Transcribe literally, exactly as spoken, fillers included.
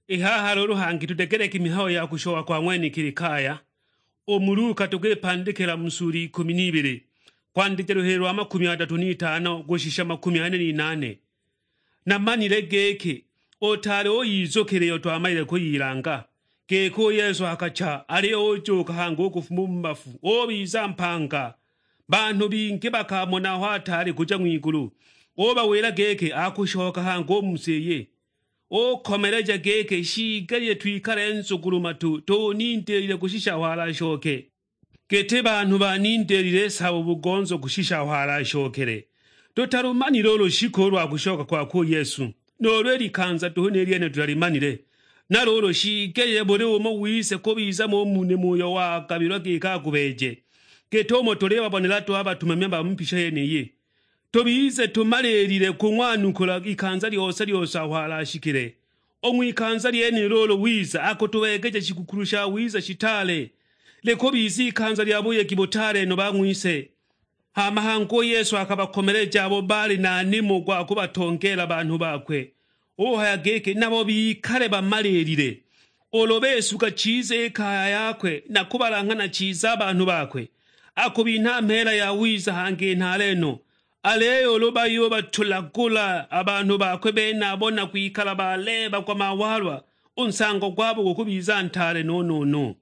I haha luulu hangi tudegeleke i mihayo ya kushoka kwa ng'wenekili kaya, u mu Luka tukwipandikila mu sula ikumi n'ibili, kwandija luhili lwa makumi adatu n'itano kushisha makumi ane n'inane. Namanile giki, utaali uyizukila iyo twamalile kuyilanga, giki u Yesu akacha, aliyo ujuuka hangi u kufuma u mu bafu, ubiza mpanga. Banhu bingi bakamona aho ataali kuja ng'wigulu, ubawila giki akushoka hangi u mu si iyi. Ukomeleja giki, shiigelile twikale nzugulu-matu, tunindilile kushisha aho alashoke, giti banhu banindilile sabo bugonzo kushisha aho alashokele. Tutalumanile u lushiku lwa kushoka kwakwe u Yesu, nuulu i likanza duhu ni lyene tutalimanile. Na luulu shiigelile buli umo wise kubiza mo mu nimo uyo wagabilwa giki agubeeje, git'umo tulibabonela duhu a batumami ba mu mbisho yeniyi. Tubize tumaliilile kung'wanukula ikanza lyose-lyose aho alashikile. U ng'wikanza lyenilo ulu wiza akutubeegeja shigukulu shawiza shitaale, likubiza ikanza lya buyegi butaale no ba ng'wise. Hama hangi u Yesu akabakomeleja abo baali na nimo gwa kubatongeela banhu bakwe, uhaya giki nabo bikale bamaliilile. Ulu besuga chiza i kaya yakwe na kubalang'hana chiza a banhu bakwe, akubinha mheela yawiza hangi nhaale no. Aliyo ulu bayubatulagula a banhu bakwe benabo na kwikala baleebagwa mawaalwa, u nsango gwabo gukubiza ntaale no-no-no.